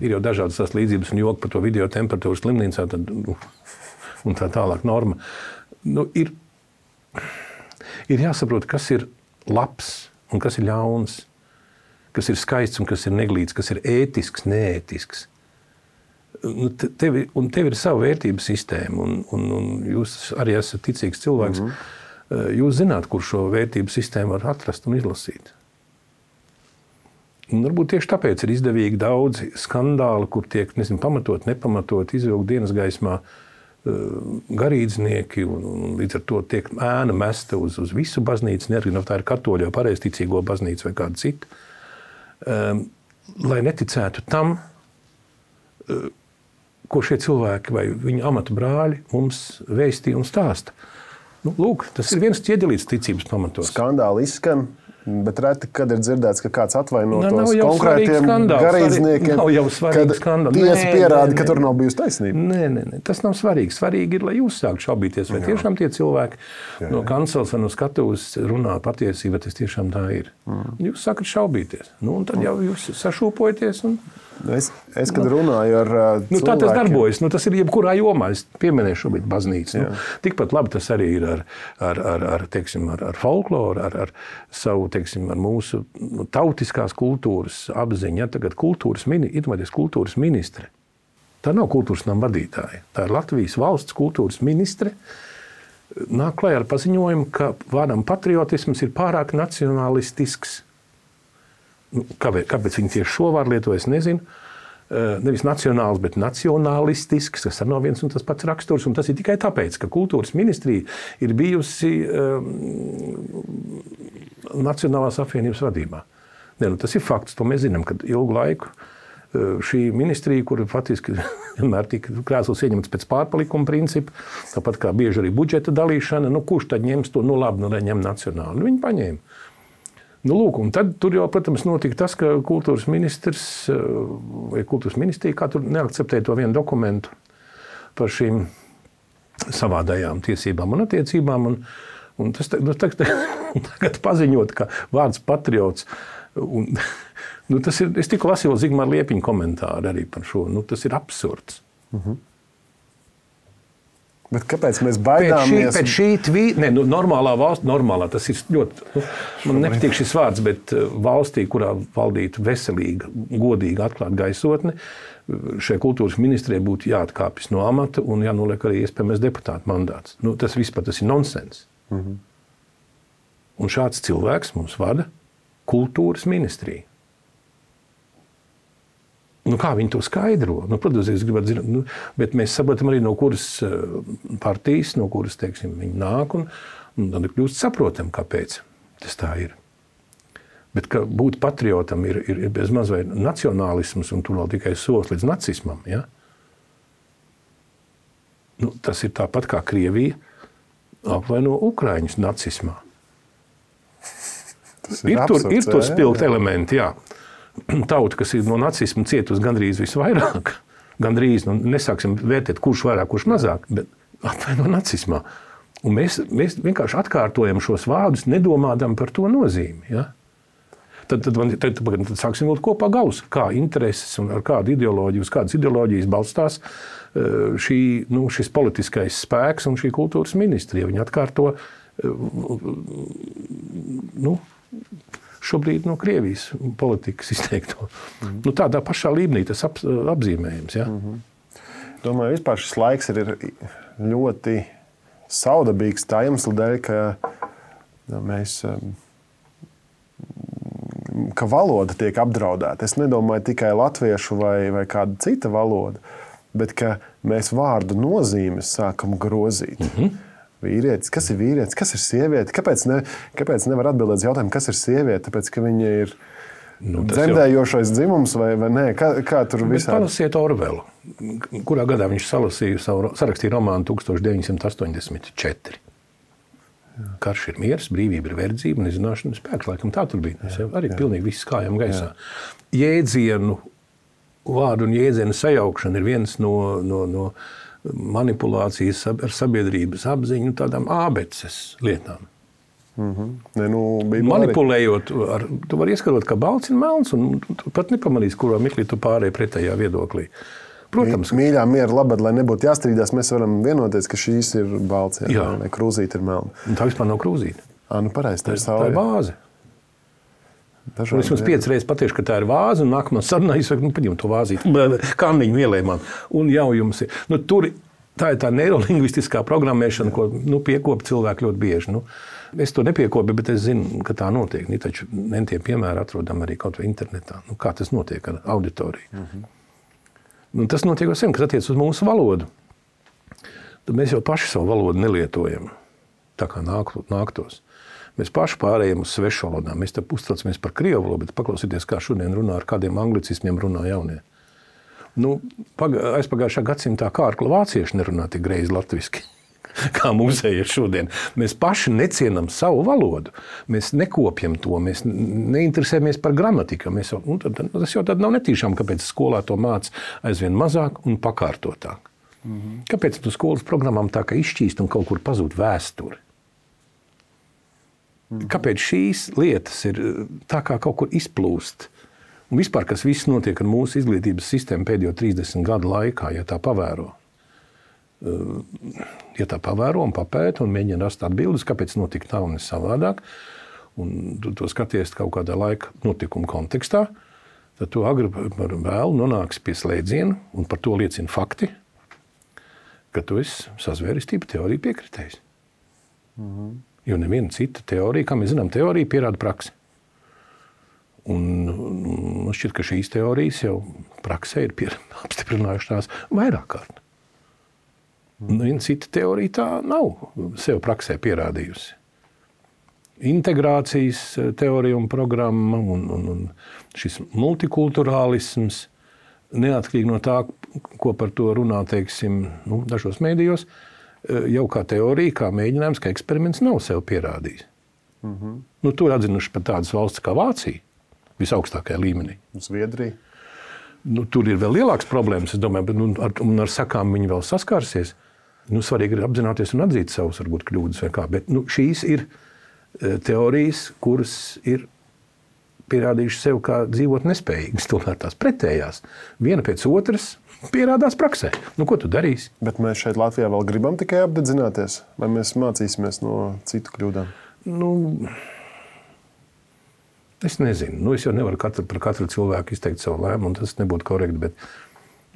ir jau dažādas tās līdzības un joki par to video temperatūras slimnīcā tad, nu, un tā tālāk norma. Nu, ir, ir jāsaprot, kas ir labs un kas ir ļauns. Kas ir skaists un kas ir neglīts, kas ir ētisks, neētisks. Tev, un tev ir sava vērtības sistēma, un, un, un jūs arī esat ticīgs cilvēks. Mm-hmm. Jūs zināt, kur šo vērtību sistēmu var atrast un izlasīt. Un varbūt tieši tāpēc ir izdevīgi daudzi skandāli, kur tiek, nezinu, pamatot, nepamatot, izvilkt dienas gaismā garīdznieki, un, un līdz ar to tiek ēna mesta uz, uz visu baznīcu, neatkarīgi no tā ir katoļu, pareizticīgo baznīcu vai kādu citu. Um, lai neticētu tam, uh, ko šie cilvēki vai viņu amatu brāļi mums vēstīja un stāsta. Nu, lūk, tas ir viens ķieģelīts ticības pamatos. Skandāli izskan, bet reti, kad ir dzirdēts, ka kāds atvainotos nav jau konkrētiem garīdzniekiem, nav jau svarīgi skandāli. Tiesa Nē, pierāda, nē, ka nē. tur nav bijusi taisnība. Nē, nē, nē, tas nav svarīgi. Svarīgi ir, lai jūs sāktu šaubīties, vai jā. Tiešām tie cilvēki jā, jā. No kancels vai no skatuves runā patiesība, tas tiešām tā ir. Mm. Jūs sākat šaubīties. Nu, un tad jau jūs sašūpojaties un... Es, es kad runāju ar uh, nu, tā tas darbojas. Nu, tas ir jebkurā jomā. Es pieminēju šobrīd baznīcu. Nu, tikpat labi tas arī ir ar, ar, ar, ar, teiksim, ar, ar folkloru, ar, ar savu, teiksim, ar mūsu tautiskās kultūras apziņu. Ja, tagad kultūras, mini, kultūras ministre. Tā nav kultūras nama vadītāja. Tā ir Latvijas valsts kultūras ministre. Nāk klajā ar paziņojumu, ka vārdam patriotisms ir pārāk nacionalistisks. Kāpēc, kāpēc viņi tieši šo vārdu lieto, es nezinu. Nevis nacionāls, bet nacionalistisks, tas nav viens un tas pats raksturs. Un tas ir tikai tāpēc, ka kultūras ministrija ir bijusi um, Nacionālās apvienības vadībā. Ne, nu, tas ir fakts, to mēs zinām, ka ilgu laiku šī ministrija, kur faktiski vienmēr tika krēsls ieņemts pēc pārpalikuma principa, tāpat kā bieži arī budžeta dalīšana, nu kurš tad ņems to, nu labi, nu lai ņem nacionāli. Nu, viņi paņēma. Nu, lūk, un tad tur jau, protams, notika tas, ka kultūras ministrs vai kultūras ministrija kā tur neakceptēja to vienu dokumentu par šīm savādajām tiesībām un attiecībām. Un, un tas nu, tagad, tagad paziņot, ka vārds patriots, un, nu, tas ir, es tikko lasīju Zigmāra Liepiņa komentāru arī par šo, nu, tas ir absurds. Mhm. Bet kāpēc mēs baidāmies? Pēc šī, šī tvī, ne, nu, normālā valsts, normālā, tas ir ļoti, nu, man nepatīk šis vārds, bet valstī, kurā valdītu veselīga, godīga, atklāta gaisotne, šai kultūras ministrijai būtu jāatkāpjas no amata un jānoliek arī iespējamais deputāta mandāts. Nu, tas vispār tas ir nonsens. Mm-hmm. Un šāds cilvēks mums vada kultūras ministriju. Nu, kā viņi to skaidro? Nu, protams, es gribētu zināt, nu, bet mēs saprotam arī, no kuras partijas, no kuras, teiksim, viņi nāk, un, un tad kļūst saprotam, kāpēc tas tā ir. Bet ka būt patriotam ir, ir, ir bez maz vai nacionālisms, un tur vēl tikai solis līdz nacismam, ja? Nu, tas ir tāpat kā Krievija apvaino Ukraiņus nacismā. Tas ir, ir absurds, tur, ir tur spilgt jā, jā. elementi, jā. Tauta, kas ir no nacisma cietusi gandrīz visvairāk, gandrīz, nu, nesāksim vērtēt, kurš vairāk, kurš mazāk, bet apvaino nacismā. Un mēs, mēs vienkārši atkārtojam šos vārdus, nedomādam par to nozīmi. Ja? Tad, tad, tad, tad, tad sāksim vilkt kopā galus, kā intereses un ar kādu ideoloģiju, uz kādas ideoloģijas balstās šī, nu, šis politiskais spēks un šī kultūras ministrija. Viņi atkārto, nu, šobrīd no Krievijas politikas izteikto. Mm-hmm. Nu, tādā pašā līmenī tas ap, apzīmējums. Ja? Mm-hmm. Domāju, vispār šis laiks ir ļoti saudabīgs tā iemesla dēļ, ka mēs, ka valoda tiek apdraudēta. Es nedomāju tikai latviešu vai, vai kāda cita valoda, bet ka mēs vārdu nozīmes sākam grozīt. Mm-hmm. Vīrietis, kas ir vīrietis, kas ir sieviete? Kāpēc, ne, kāpēc nevar atbildēt jautājumu, kas ir sieviete? Tāpēc, ka viņa ir nu, dzemdējošais jau... dzimums vai, vai nē? Kā, kā tur visādi? Palasiet Orvelu, kurā gadā viņš salasīja savu, sarakstīja romānu tukstovš deviņsimt astoņdesmit četri. Jā. Karš ir miers, brīvība ir verdzība un izzināšana spēks. Laikam tā tur bija. Tas jau arī jā. Pilnīgi viss kājām gaisā. Jā. Jēdzienu, vārdu un jēdzienu sajaukšana ir viens no... no, no manipulācijas ar sabiedrības apziņu tādām ābeces lietām. Mm-hmm. Ne, nu, manipulējot, ar, tu vari ieskarot, ka balts ir melns, un tu pat nepamanīs, kurā mirklī tu pārēji pretējā viedoklī. Protams, mīļā miera labad, lai nebūtu jāstrīdās, mēs varam vienoties, ka šīs ir balts, jā, jā. Vai krūzīte ir melna. Un tā vispār nav krūzīte. Ā, nu pareizi, tā ir saule. Tā ir vāze. Dažādi, es jums pieci reizes pateikšu, ka tā ir vāze, un nākamā sarunā es saku, nu, paņem to vāzīti, kanniņu ielēj man, un jau jums ir. Nu, tur tā ir tā neirolingvistiskā programmēšana, ko nu, piekopa cilvēki ļoti bieži. Nu, es to nepiekopu, bet es zinu, ka tā notiek. Ni, taču nentie piemēri atrodam arī kaut vai internetā. Nu, kā tas notiek ar auditoriju? Mm-hmm. Nu, tas notiek jau sen, kas attiec uz mūsu valodu. Tad mēs jau paši savu valodu nelietojam, tā kā nāk, nāktos. Mēs paši pārējām uz svešu valodām. Mēs te uztraucamies par krievu valodu, bet paklausieties, kā šodien runā, ar kādiem anglicismiem runā jaunie. Nu, paga, aizpagājušā gadsimtā kārkla vācieši nerunā tik greizi latviski, kā mūsēji ir šodien. Mēs paši necienam savu valodu. Mēs nekopjam to, mēs neinteresējamies par gramatiku. Mēs jau, nu, tad, tas jau tad nav netīšām, kāpēc skolā to māc aizvien mazāk un pakārtotāk. Mm-hmm. Kāpēc tu skolas programmām tā kā izšķīst un kaut kur pazūd vēsturi? Kāpēc šīs lietas ir tā kā kaut kur izplūst? Un vispār, kas viss notiek ar mūsu izglītības sistēmu pēdējo trīsdesmit gadu laikā, ja tā pavēro. Ja tā pavēro un papēta un mēģina rast atbildes, kāpēc notika tā un ne savādāk, un tu to skaties kaut kādā laika notikuma kontekstā, tad tu agri par vēlu nonāks pie slēdziena, un par to liecina fakti, ka tu esi sazvērestība teorija piekritējis. Mhm. Jo neviena cita teorija, kā mēs zinām, teorija pierāda praksi. Un man šķiet, ka šīs teorijas jau praksē ir pier, apstiprinājušas tās vairāk kārt. Neviena cita teorija tā nav sev praksē pierādījusi. Integrācijas teorija un programma un, un, un šis multikulturālisms, neatkarīgi no tā, ko par to runā, teiksim, nu, dažos mēdījos, jau kā teorija, kā mēģinājums, ka eksperiments nav sev pierādījis. Mm-hmm. Nu, tur atzinuši pat tādas valsts kā Vācija, visaugstākajā līmenī. Zviedrija. Nu, tur ir vēl lielāks problēmas, es domāju, bet nu, ar, un ar sakām viņi vēl saskārsies. Nu, svarīgi ir apzināties un atzīt savus, varbūt, kļūdas vai kā, bet nu, šīs ir teorijas, kuras ir pierādījuši sev kā dzīvot nespējīgas, tomēr tās pretējās. Viena pēc otras pierādās praksē. Nu, ko tu darīsi? Bet mēs šeit Latvijā vēl gribam tikai apdedzināties? Vai mēs mācīsimies no citu kļūdām? Nu, es nezinu. Nu, es jau nevaru katru, par katru cilvēku izteikt savu lēmumu, un tas nebūtu korekti, bet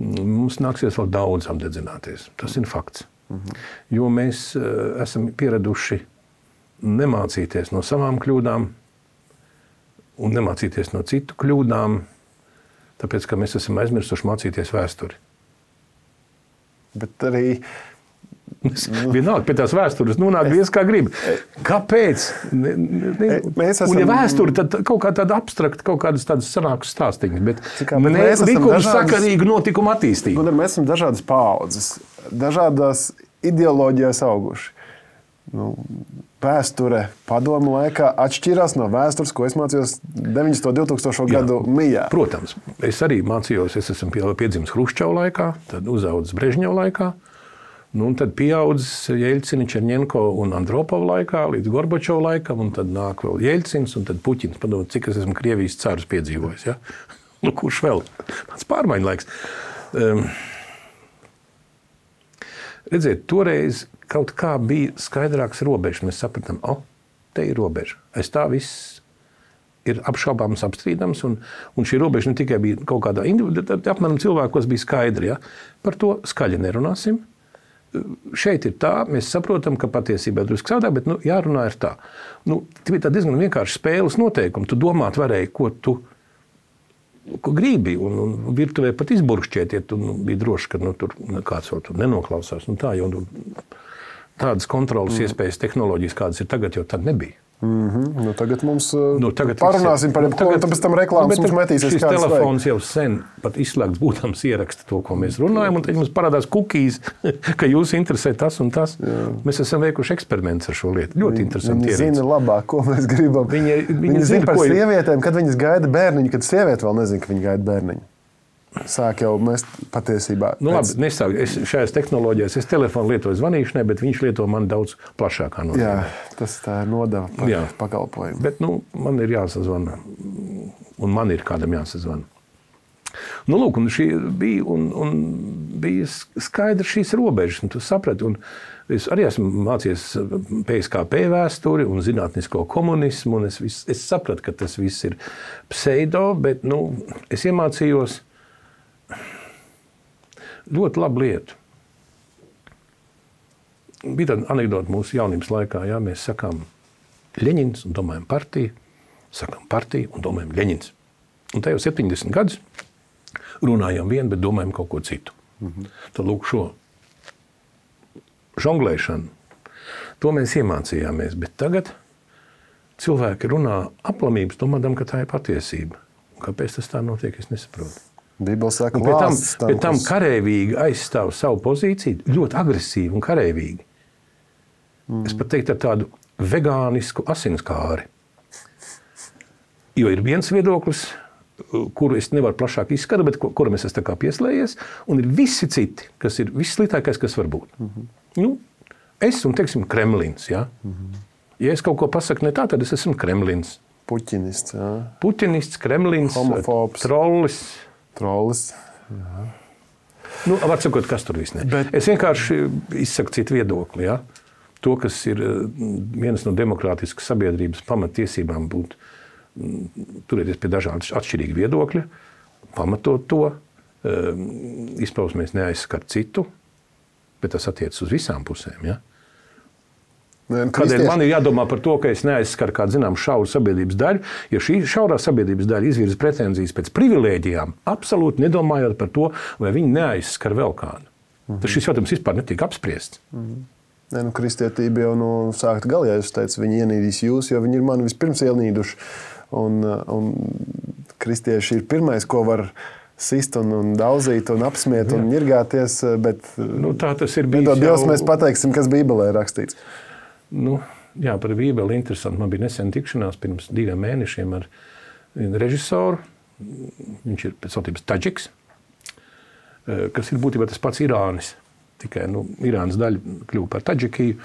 mums nāksies vēl daudz apdedzināties. Tas ir fakts. Mhm. Jo mēs uh, esam pieraduši nemācīties no savām kļūdām un nemācīties no citu kļūdām, tāpēc, ka mēs esam aizmirsuši mācīties vēsturi. Bet arī... Vienalga, pie tās vēstures nonāk viens kā grib. Kāpēc? Ne, ne, mēs esam... Un ja vēsture, tad kaut kā tāda abstrakta, kaut kādas tādas sanākas stāstiņas, bet, kā, bet ne likuma dažādas... sakarīga notikuma attīstība. Un mēs esam dažādas paaudzes, dažādās ideoloģijās auguši. Nu, vēsture padomu laikā atšķirās no vēstures, ko es mācījos deviņdesmito divtūkstošo gadu mijā. Protams, es arī mācījos, es esmu piedzimis Hruščova laikā, tad uzaudzis Brežņeva laikā, nu, un tad pieaudzis Jeļcina, Čerņenko un Andropova laikā līdz Gorbačova laikam, un tad nāk vēl Jeļcins un tad Puķins. Padomāt, cik es esmu Krievijas carus piedzīvojis. Ja? Nu, kurš vēl? Tāds pārmaiņu laiks. Um, redziet, toreiz kaut kā bija skaidrāks robežs. Mēs sapratām, o, te ir robeža. Aiz tā viss ir apšaubāms, apstrīdams, un, un šī robeža ne tikai bija kaut kādā individuālā, apmēram cilvēkos bija skaidri. Ja? Par to skaļi nerunāsim. Šeit ir tā, mēs saprotam, ka patiesībā drusku savādāk, bet nu, jārunā ir tā. Nu, tā bija diezgan vienkārši spēles noteikumi. Tu domāt varēji, ko tu ko gribi, un, un virtuvē pat izburkšķiet, ja tu nu, bija droši, ka nu, tur kāds vēl tur nenoklausās. Nu, tā, jo, nu, tādas kontrolas mm. iespējas, tehnoloģijas, kādas ir tagad, jau tad nebija. Mm-hmm. Nu, tagad mums nu, tagad parunāsim par jebko, un pēc tam reklāmas nu, mums metīsies šis kādas telefons vajag. jau sen pat izslēgts būtams ieraksta to, ko mēs runājam, un tad mums parādās kukīs, ka jūs interesē tas un tas. Jā. Mēs esam veikuši eksperimentus ar šo lietu. Ļoti viņi, interesanti viņi ierīci. Viņi zina labāk, ko mēs gribam. Viņi, viņi, viņi zina par ko... sievietēm, kad viņas gaida bērniņu, kad sieviete vēl nezina, ka viņa gaida bērniņu. Sāk jau mēs patiesībā... Nu, pēc... labi, nesāk. Es šajās tehnoloģijās, es telefonu lietoju zvanīšanai, bet viņš lieto man daudz plašākā nozīmē. Jā, tas tā ir nodeva par Jā. pakalpojumu. Bet, nu, man ir jāsazvana, un man ir kādam jāsazvana. Nu, lūk, un šī bija, un, un bija skaidrs šīs robežas, un tu saprati, un es arī esmu mācījies P S K P vēsturi un zinātnisko komunismu, un es, vis, es sapratu, ka tas viss ir pseido, bet, nu, es iemācījos ļoti labu lietu. Bija tāda anekdota mūsu jaunības laikā, jā, mēs sakām Ļeņins un domājam partiju, sakām partiju un domājam Ļeņins. Un tā jau septiņdesmit gadus runājam vienu, bet domājam kaut ko citu. Mm-hmm. Tad lūk šo žonglēšanu, to mēs iemācījāmies, bet tagad cilvēki runā aplamības, domādam, ka tā ir patiesība. Un kāpēc tas tā notiek, es nesaprotu. Bībele saka, pie tam, tam, pie tam karēvīgi aizstāv savu pozīciju, ļoti agresīvi un karēvīgi. Mm. Es pat teiktu ar tādu vegānisku asinskāri. Jo ir viens viedoklis, kuru es nevaru plašāk izskatīt, bet kuram es esmu tā kā pieslējies, un ir visi citi, kas ir visslitākais, kas var būt. Mm-hmm. Nu, es un, teiksim, Kremlins, ja? Mm-hmm. Ja es kaut ko pasaku ne tā, tad es esmu Kremlins. Puķinists, jā. Puķinists, Kremlins, homofobs, trollis. Trollis, jā. Nu, var sakot, kas tur viss ne. Bet... Es vienkārši izsaku citu viedokli, ja? To, kas ir vienas no demokrātiskas sabiedrības pamattiesībām būt, turēties pie dažādas atšķirīgi viedokļi, pamatot to, izpausmēs neaizskar citu, bet tas attiecas uz visām pusēm, ja? Kādēļ man ir jādomā par to, ka es neaizskaru kādu, zinām, šauru sabiedrības daļu, ja šī šaurā sabiedrības daļa izvirza pretenzijas pēc privilēģijām, absolūti nedomājot par to, vai viņi neaizskar vēl kādu. Mm-hmm. Tas šis jautājums vispār netiek apspriests. Mm-hmm. Nē, nu, kristietība jau no sākta gala, ja es teicu, viņi ienīdīs jūs, jo viņi ir mani vispirms ienīduši. Un, un kristieši ir pirmais, ko var sist un, un daudzīt un apsmiet un ņirgāties, bet nu, tā tas ir bijis. Dievs, jau... mēs pateiksim, kas Bībelē rakstīts. Nu, jā, par Bībeli interesanti. Man bija nesen tikšanās pirms diviem mēnešiem ar režisoru. Viņš ir pēc tautības Tadžiks, kas ir būtībā tas pats Irānis. Tikai nu, Irānas daļa kļuva par Tadžikiju.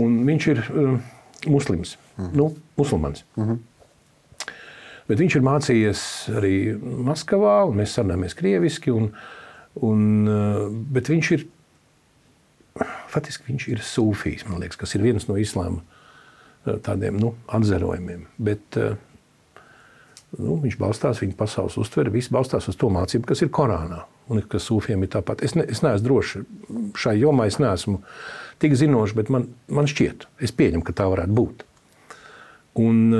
Un viņš ir uh, muslims, mm. nu, musulmanis. Mm-hmm. Bet viņš ir mācījies arī Maskavā, un mēs sarunājamies krieviski. Un, Un, bet viņš ir, faktiski viņš ir sūfijs, man liekas, kas ir viens no islāma tādiem nu, atzarojumiem. Bet nu, viņš balstās, viņa pasaules uztvere, viss balstās uz to mācību, kas ir Korānā. Un kas sūfiem ir tāpat. Es, ne, es neesmu droši šai jomā, es neesmu tik zinoši, bet man, man šķiet, es pieņemu, ka tā varētu būt. Un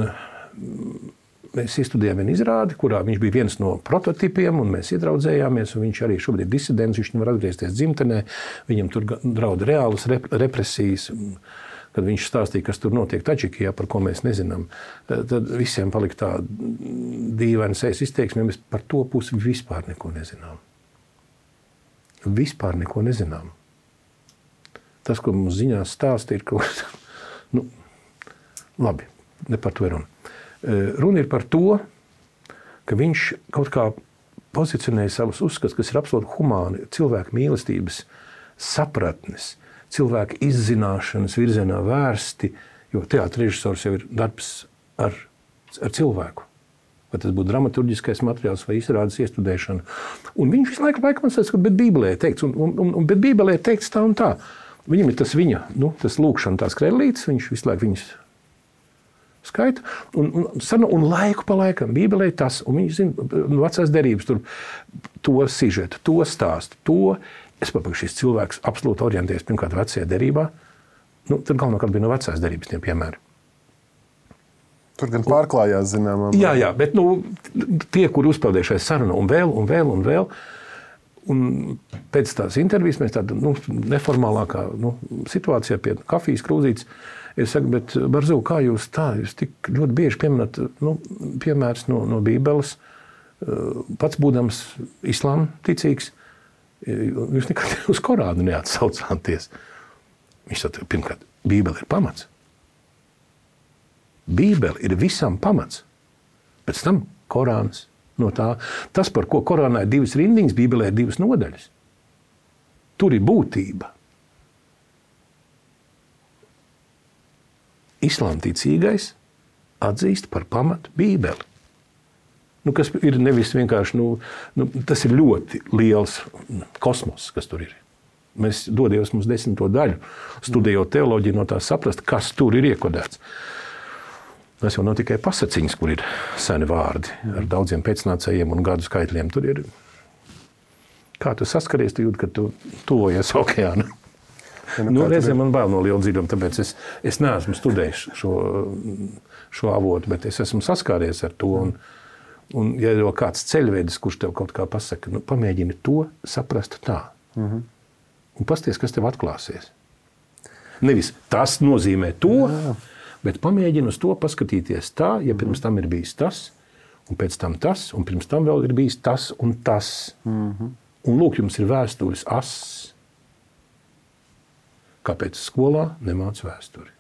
mēs izstudējām vienu izrādi, kurā viņš bija viens no prototipiem, un mēs iedraudzējāmies, un viņš arī šobrīd ir disidents, viņš nevar atgriezties dzimtenē, viņam tur draud reālas rep- represijas, kad viņš stāstīja, kas tur notiek Taģikijā, par ko mēs nezinām. Tad visiem palika tā dīvaina sejas izteiksme, mēs par to pusi vispār neko nezinām. Vispār neko nezinām. Tas, ko mums ziņās stāsta, ir kaut kas, nu, labi, ne par to ir runa. Runa ir par to, ka viņš kaut kā pozicionēja savus uzskats, kas ir absolūti humāni, cilvēku mīlestības sapratnes, cilvēku izzināšanas virzienā vērsti, jo teātra režisors jau ir darbs ar, ar cilvēku. Vai tas būtu dramaturģiskais materiāls vai izrādes iestudēšana. Un viņš visu laiku, laiku man saka, bet Bībelē ir teikts, un, un, un, bet Bībelē ir teikts tā un tā. Viņam ir tas viņa, nu, tas lūkšana, tās krellītes, viņš visu laiku viņas skaita, un, un, un laiku pa laikam Bībelē ir tas, un viņš zina, vecās derības tur to sižetu, to stāstu, to. Es papaku, šis cilvēks absolūti orientējas pirmkārt vecajā derībā, nu, tad galvenokārt bija no vecās derības tiem piemēri. Tur gan pārklājās, zināmā. Jā, jā, bet nu, tie, kuri uzpeldēja šai sarunu un vēl, un vēl, un vēl, un pēc tās intervijas mēs tāda nu, neformālākā nu, situācijā pie kafijas krūzītes, es saku, bet Barzu, kā jūs tā, jūs tik ļoti bieži pieminat nu, piemērs no, no Bībeles, pats būdams islāma ticīgs, jūs nekad uz Korānu neatsaucāties. Viņš saka, pirmkārt, Bībele ir pamats. Bībele ir visam pamats. Pēc tam Korāns no tā. Tas, par ko Korānā ir divas rindiņas, Bībelē ir divas nodaļas. Tur ir būtība. Islāma ticīgais atzīst par pamatu Bībeli. Nu, kas ir nevis vienkārši, nu, nu, tas ir ļoti liels kosmos, kas tur ir. Mēs dodies mums desmito daļu, studējot teoloģiju no tā saprast, kas tur ir iekodēts. Tas jau nav tikai pasaciņas, kur ir seni vārdi ar daudziem pēcnācējiem un gadu skaitļiem. Tur ir, kā tu saskaries, tu jūt, ka tu tuvojies okeānu. Ja, nu, nu, reizēm man bail no liela dziļuma, tāpēc es, es neesmu studējis šo, šo avotu, bet es esmu saskāries ar to. Un, un ja ir kāds ceļvedis, kurš tev kaut kā pasaka, nu, pamēģini to saprast tā. Mm-hmm. Un pasties, kas tev atklāsies. Nevis tas nozīmē to, jā, bet pamēģini uz to paskatīties tā, ja pirms tam ir bijis tas, un pēc tam tas, un pirms tam vēl ir bijis tas un tas. Mm-hmm. Un lūk, jums ir vēstures ass. Kāpēc skolā nemāc vēsturi?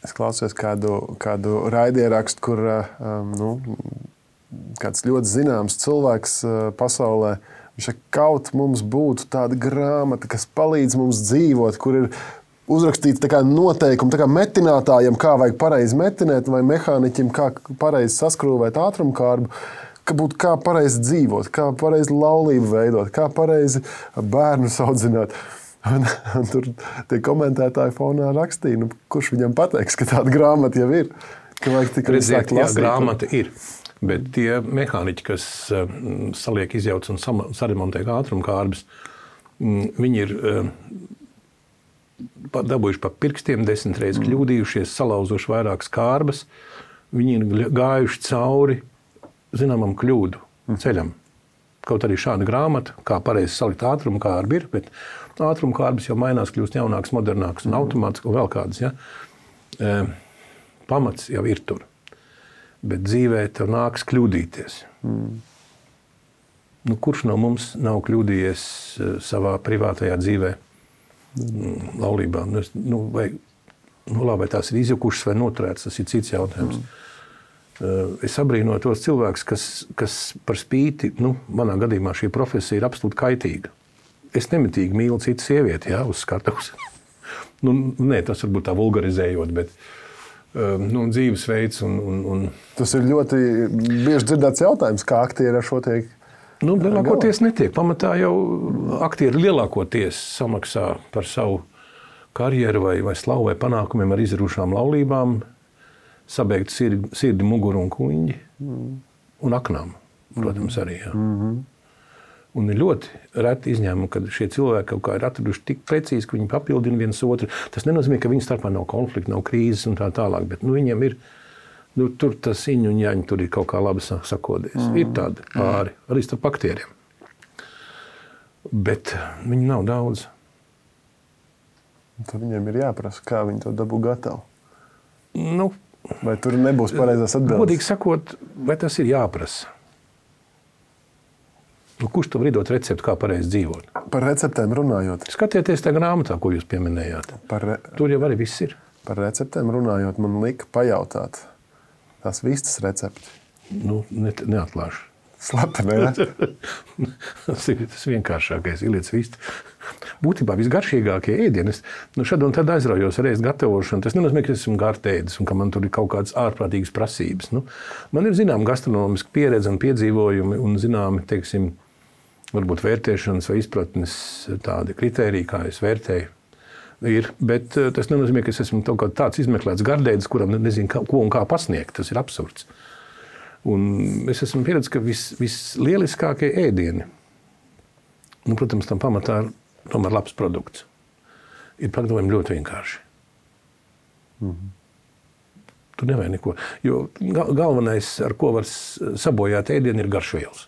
Es klausos kādu, kādu raidierakstu, kur um, nu, kāds ļoti zināms cilvēks uh, pasaulē, viņš saka, kaut mums būtu tāda grāmata, kas palīdz mums dzīvot, kur ir uzrakstīts tā kā noteikumi, tā kā metinātājiem, kā vajag pareizi metinēt, vai mehāniķim, kā pareizi saskrūvēt ātrumkārbu, ka būtu kā pareizi dzīvot, kā pareizi laulību veidot, kā pareizi bērnus audzināt. Un, un tur tie komentētāji fonā rakstīja, nu, kurš viņam pateiks, ka tāda grāmata jau ir, ka vajag tikai sākt lasīt. Jā, grāmata ir, bet tie mehāniķi, kas uh, saliek, izjauc un saremontē ātrumkārbas, mm, viņi ir uh, dabūjuši pa pirkstiem, desmit reizes kļūdījušies, salauzuši vairākas kārbas, viņi ir gājuši cauri zināmam kļūdu ceļam. Kaut arī šāda grāmata, kā pareizi salikt ātrumkārbi ir, bet ātrumkārbas jau mainās, kļūst jaunāks, modernāks un automātiski un vēl kādas. Ja? E, pamats jau ir tur, bet dzīvē tev nāks kļūdīties. Mm. Nu, kurš no mums nav kļūdījies savā privātajā dzīvē, mm. laulībā? Nu, nu, vai, nu, labi, vai tās ir izjukušas vai noturētas, tas ir cits jautājums. Mm. Es abrīnoju tos cilvēkus, kas, kas par spīti, nu, manā gadījumā šī profesija ir absolūti kaitīga. Es nemitīgi mīlu citu sievieti, jā, uz skatuves. nu, nē, tas varbūt tā vulgarizējot, bet nu, dzīvesveids un, un, un... Tas ir ļoti bieži dzirdēts jautājums, kā aktieri ar šo tiek Nu, lielākoties netiek. Pamatā jau aktieri lielākoties samaksā par savu karjeru vai, vai slavu vai panākumiem ar izrušām laulībām, sabeigt sirdi, sirdi muguru un kuņģi mm. un aknām, protams, arī. Jā. Mm-hmm. Un ir ļoti reti izņēmumi, kad šie cilvēki kaut kā ir atraduši tik precīzi, ka viņi papildina viens otru. Tas nenozīmē, ka viņu starpā nav konflikta, nav krīzes un tā tālāk, bet nu, viņiem ir, nu, tur tas iņu un jaņi tur ir kaut kā labi sakodies. Mm. Ir tādi pāri, arī starp aktieriem. Bet viņi nav daudz. Tad viņiem ir jāprasa, kā viņi to dabū gatavu. Nu, vai tur nebūs pareizās atbildes? Godīgi sakot, vai tas ir jāprasa? Nu, kurš tev var iedot recepti, kā pareizi dzīvot? Par receptēm runājot. Skatieties tajā grāmatā, ko jūs pieminējāt. Par re... Tur jau arī viss ir. Par receptēm runājot, man lika pajautāt tās vistas recepti. Nu, ne, neatklāšu. Slapeni, ja? Tas ir tas vienkāršākais, ieliec vistu. Būtībā visgaršīgākie ēdieni. Es nu, šad un tad aizraujos ar ēst gatavošanu. Tas nenozīmē, ka es esmu gartēdis un ka man tur ir kaut kādas ārprātīgas prasības. Nu, man ir zinām gastronomiska pieredze un piedzīvojumi un zināmi, teiksim, varbūt vērtēšanas vai izpratnes tādi kritēriji, kā es vērtēju. Ir, bet tas nenozīmē, ka es esmu tāds izmeklēts gardēdis, kuram nezinu, ko un kā pasniegt. Tas ir absurds. Un es esmu pieredzējis, ka vis, vislieliskākie ēdieni, nu, protams, tam pamatā ir tomēr labs produkts, ir pagatavojami ļoti vienkārši. Mm-hmm. Tur nevajag neko. Jo galvenais, ar ko var sabojāt ēdienu, ir garšvielas.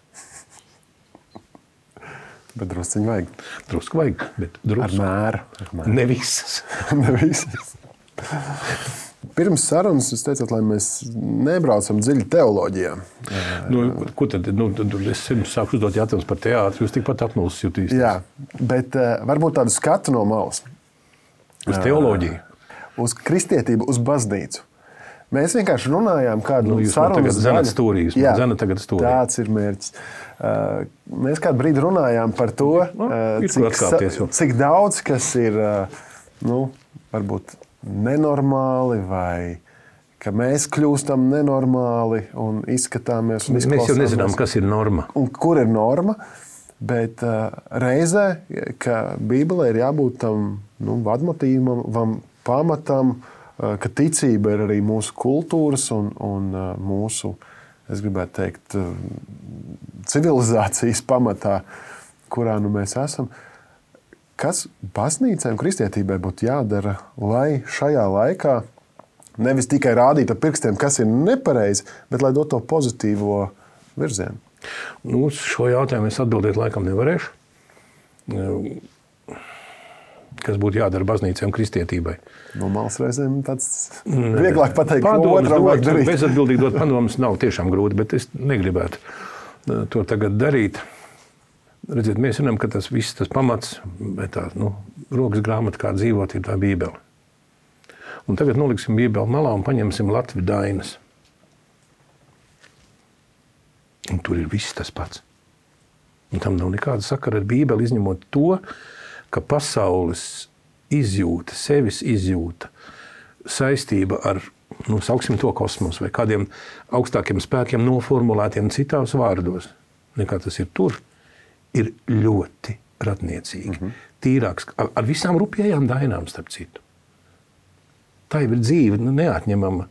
Bet drusciņi vajag. Drusku vajag, bet drusku. Ar mēru. Ar mēru. Ne visas. Ne visas. Pirms sarunas jūs teicāt, lai mēs nebraucam dziļi teoloģijā. Nu, ko tad? Nu, es sāku uzdot jautājumus par teātri, jūs tikpat apmulsis jutīsties. Jā, bet uh, varbūt tādu skatu no malas. Uz teoloģiju? Uh, uz kristietību, uz baznīcu. Mēs vienkārši runājām kādu nu, sarunas daļu. Zena stūrīs, jā, zena tagad stūrī. Tāds ir mērķis. Uh, mēs kādu brīdi runājām par to, uh, cik, cik daudz, kas ir, uh, nu, varbūt nenormāli vai ka mēs kļūstam nenormāli un izskatāmies un izklausāmies. Mēs jau nezinām, kas ir norma. Un kur ir norma, bet uh, reizē, ka Bībelē ir jābūt tam nu, vadmotīvam, pamatam, uh, ka ticība ir arī mūsu kultūras un, un uh, mūsu, es gribētu teikt, uh, civilizācijas pamatā, kurā nu mēs esam. Kas baznīcai un kristietībai būtu jādara, lai šajā laikā nevis tikai rādītu ar pirkstiem, kas ir nepareizi, bet lai dotu to pozitīvo virzienu? Nu, uz šo jautājumu es atbildēt laikam nevarēšu. Kas būtu jādara baznīcai un kristietībai? No malas reizēm tāds vieglāk pateikt, ko otram vajag darīt. Bezatbildīgi dot padomus nav tiešām grūti, bet es negribētu to tagad darīt. Redziet, mēs zinām, ka tas viss, tas pamats, tā, nu, rokas grāmata, kā dzīvot, ir tā Bībele. Un tagad noliksim Bībeli malā un paņemsim Latviju dainas. Un tur ir viss tas pats. Un tam nav nekāda sakara ar Bībeli, izņemot to, ka pasaules izjūta, sevis izjūta, saistība ar, nu, sauksim to kosmosu vai kādiem augstākiem spēkiem noformulētiem citās vārdos, nekā tas ir tur, ir ļoti ratniecīgi. Mm-hmm. Tīrāks, ar, ar visām rupjējām dainām, starp citu. Tā jau ir dzīve, nu, neatņemama.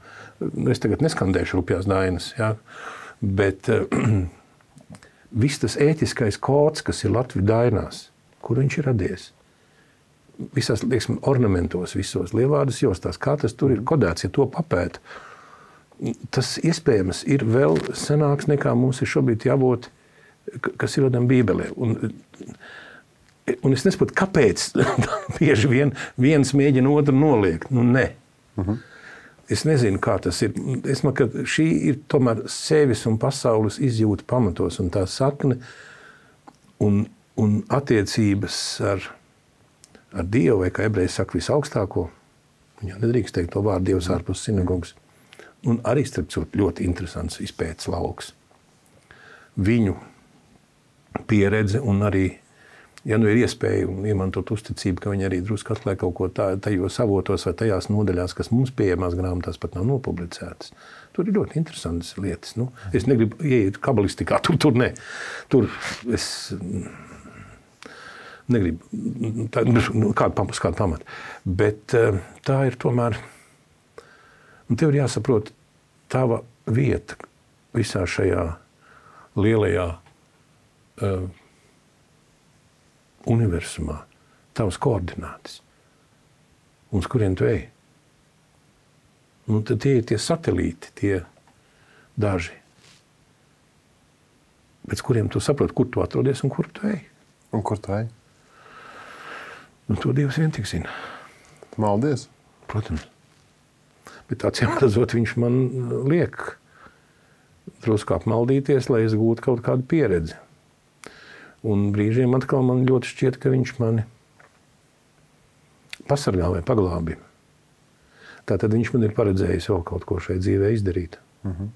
Es tagad neskandēšu rupjās dainas, jā. Bet uh, viss tas ētiskais kods, kas ir Latviju dainās, kur viņš ir radies? Visās, lieksim, ornamentos, visos lievārdas jostās, kā tas tur ir kodēts, ja to papēt. Tas iespējams ir vēl senāks nekā mums ir šobrīd jābūt, kas ir rodam Bībelē. Un, un es nesaprotu, kāpēc bieži vien viens mēģina otru noliegt. Nu, ne. Uh-huh. Es nezinu, kā tas ir. Es man, ka šī ir tomēr sevis un pasaules izjūta pamatos un tā sakne un, un attiecības ar, ar Dievu, vai kā ebreji saka, visaugstāko. Viņa nedrīkst teikt to vārdu Dievs ārpus sinagogas. Un arī, starp citu, ļoti interesants izpētes lauks. Viņu pieredze un arī ja nu ir iespēja iemantot uzticību, ka viņi arī drusku atklāja kaut ko tā, tajos avotos vai tajās nodaļās, kas mums pieejamās grāmatās pat nav nopublicētas. Tur ir ļoti interesantas lietas. Nu, es negribu ieiet kabalistikā, tur, tur ne. Tur es negribu tā, kādu pamatu, kādu pamatu. Bet tā ir tomēr, un tev ir jāsaprot tava vieta visā šajā lielajā uh, universumā, tavas koordinātas, un uz kuriem tu ej. Un tad tie ir tie satelīti, tie daži, pēc kuriem tu saproti, kur tu atrodies un kur tu ej. Un kur tu ej? Un to Dievs vien tik zina. Maldies. Protams. Bet acīm redzot, viņš man liek drusku apmaldīties, lai es gūtu kaut kādu pieredzi. Un brīžiem atkal man ļoti šķiet, ka viņš mani pasargā vai paglābi. Tātad viņš man ir paredzējis vēl kaut ko šai dzīvē izdarīt. Uh-huh.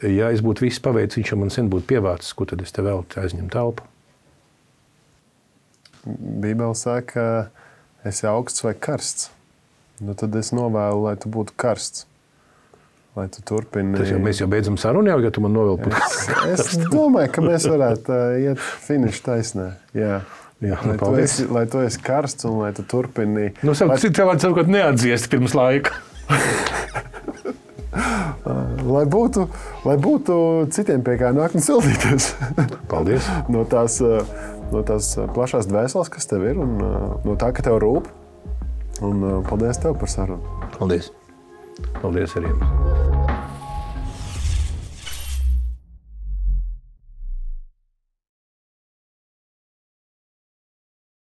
Ja es būtu visu paveicis, viņš jau man sen būtu pievārcis, ko tad es te vēl aizņem telpu. Bībele saka, ka esi augsts vai karsts. Nu, tad es novēlu, lai tu būtu karsts. Lai tu turpini... Tas jau mēs jau beidzam sarunu, jau, ja tu man novēl pat es, es domāju, ka mēs varētu uh, iet finišu taisnē. Jā. Jā, lai, tu esi, lai tu esi karsts un lai tu turpini... Nu, savu, lai... Tev vajag savukārt neatdziest pirms laika. lai, būtu, lai būtu citiem pie kā nākt un sildīties. Paldies. no, tās, no tās plašās dvēseles, kas tev ir, un no tā, ka tev rūp. Un paldies tev par sarunu. Paldies. Paldies arī jums.